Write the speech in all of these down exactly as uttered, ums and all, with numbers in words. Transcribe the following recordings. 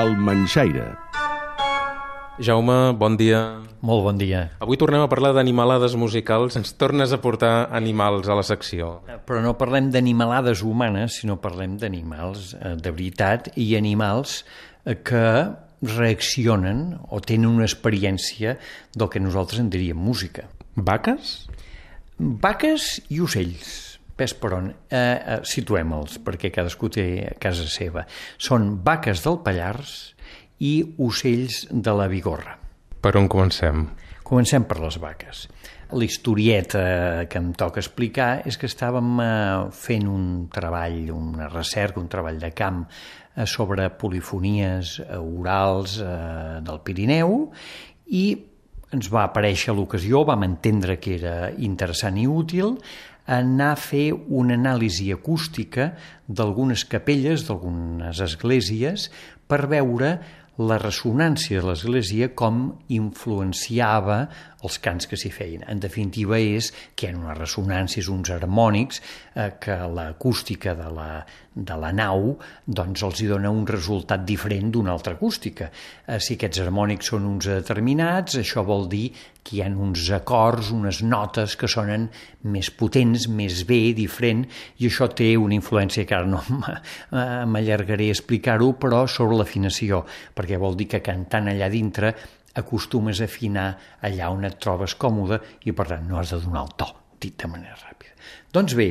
El Manxaire. Jaume, bon dia. Molt bon dia. Avui tornem a parlar d'animalades musicals. Ens tornes a portar animals a la secció. Però no parlem d'animalades humanes, sinó parlem d'animals eh, de veritat i animals eh, que reaccionen o tenen una experiència del que nosaltres en diríem música. Vaques? Vaques i ocells. Ves per on? Eh, eh, situem-los, perquè cadascú té a casa seva. Són vaques del Pallars i ocells de la Bigorra. Per on comencem? Comencem per les vaques. La historieta que em toca explicar és que estàvem eh, fent un treball, una recerca, un treball de camp eh, sobre polifonies eh, orals eh, del Pirineu i ens va aparèixer l'ocasió, vam entendre que era interessant i útil, anar a fer una anàlisi acústica d'algunes capelles, d'algunes esglésies, per veure la ressonància de l'església com influenciava els cants que s'hi feien. En definitiva és que hi ha unes ressonàncies, uns harmònics, eh, que l'acústica de la, de la nau doncs els hi dona un resultat diferent d'una altra acústica. Eh, si aquests harmònics són uns determinats, això vol dir que hi ha uns acords, unes notes que sonen més potents, més bé, diferent, i això té una influència que ara no m'allargaré a explicar-ho, però sobre l'afinació, perquè vol dir que cantant allà dintre acostumes a afinar allà on et trobes còmode i per tant no has de donar el to, dit de manera ràpida. Doncs bé,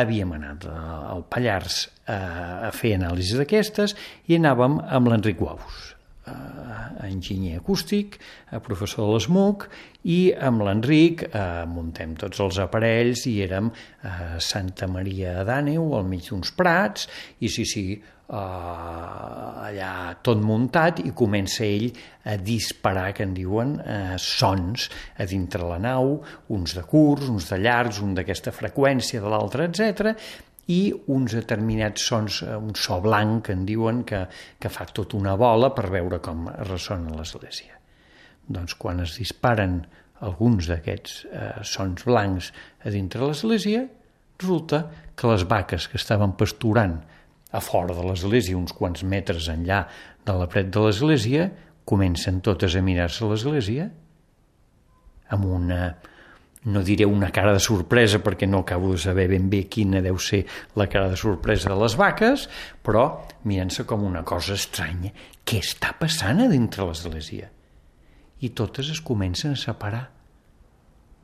havíem anat al Pallars a fer anàlisis d'aquestes i anàvem amb l'Enric Guaus, enginyer acústic, professor de l'E S M U C, i amb l'Enric eh, muntem tots els aparells i érem a Santa Maria d'Àneu, al mig d'uns prats, i sí, sí, eh, allà tot muntat, i comença ell a disparar, que en diuen, eh, sons a dintre la nau, uns de curts, uns de llargs, un d'aquesta freqüència, de l'altra, etcètera, i uns determinats sons, un so blanc, que en diuen, que, que fa tota una bola per veure com ressona l'església. Doncs quan es disparen alguns d'aquests eh, sons blancs a dintre l'església, resulta que les vaques que estaven pasturant a fora de l'església, uns quants metres enllà de la paret de l'església, comencen totes a mirar-se l'església amb una, no diré una cara de sorpresa perquè no acabo de saber ben bé quina deu ser la cara de sorpresa de les vaques, però mirant-se com una cosa estranya. Què està passant a dintre l'església? I totes es comencen a separar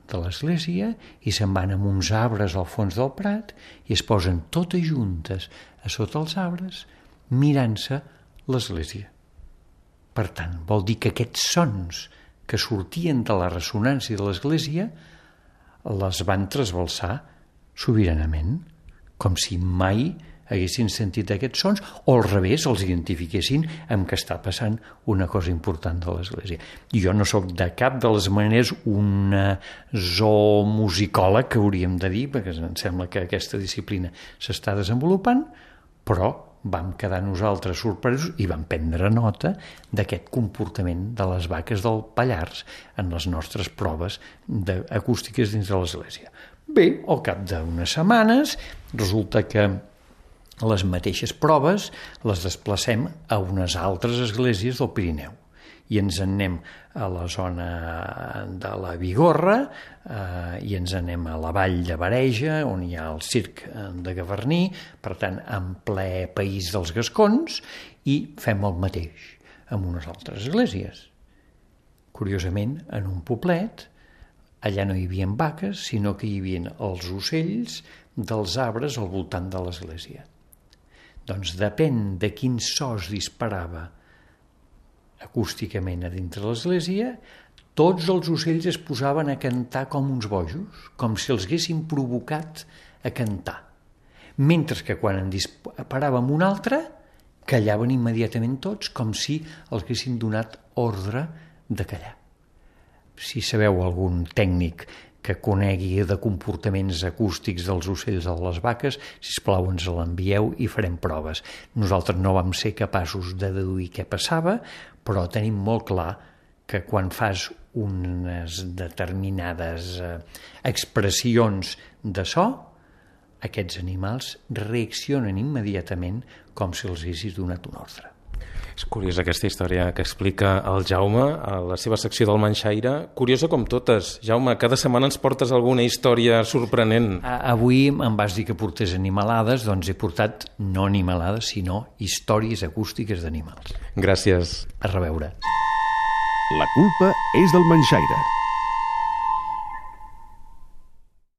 de l'església i se'n van amb uns arbres al fons del prat i es posen totes juntes a sota els arbres mirant-se l'església. Per tant, vol dir que aquests sons que sortien de la ressonància de l'església les van trasbalsar sobiranament, com si mai haguessin sentit aquests sons, o al revés els identifiquessin amb que està passant una cosa important de l'església. I jo no sóc de cap de les maneres un zoomusicòleg, que hauríem de dir, perquè em sembla que aquesta disciplina s'està desenvolupant, però vam quedar nosaltres sorpresos i vam prendre nota d'aquest comportament de les vaques del Pallars en les nostres proves acústiques dins de l'església. Bé, al cap d'unes setmanes resulta que les mateixes proves les desplacem a unes altres esglésies del Pirineu i ens en anem a la zona de la Bigorra eh, i ens anem a la vall de Bareja, on hi ha el circ de Gavarní, per tant, en ple país dels gascons, i fem el mateix amb unes altres esglésies. Curiosament, en un poblet, allà no hi havia vaques, sinó que hi havia els ocells dels arbres al voltant de l'església. Doncs depèn de quin so es disparava acústicament a dintre l'església, tots els ocells es posaven a cantar com uns bojos, com si els haguessin provocat a cantar. Mentre que quan en disparàvem un altre, callaven immediatament tots, com si els haguessin donat ordre de callar. Si sabeu algun tècnic que conegui de comportaments acústics dels ocells o de les vaques, sisplau ens l'envieu i farem proves. Nosaltres no vam ser capaços de deduir què passava, però tenim molt clar que quan fas unes determinades expressions de so, aquests animals reaccionen immediatament com si els haguessis donat un ordre. És curiosa aquesta història que explica el Jaume a la seva secció del Manxaire. Curiosa com totes. Jaume, cada setmana ens portes alguna història sorprenent. Avui em vas dir que portés animalades, doncs he portat no animalades, sinó històries acústiques d'animals. Gràcies. A reveure. La culpa és del Manxaire.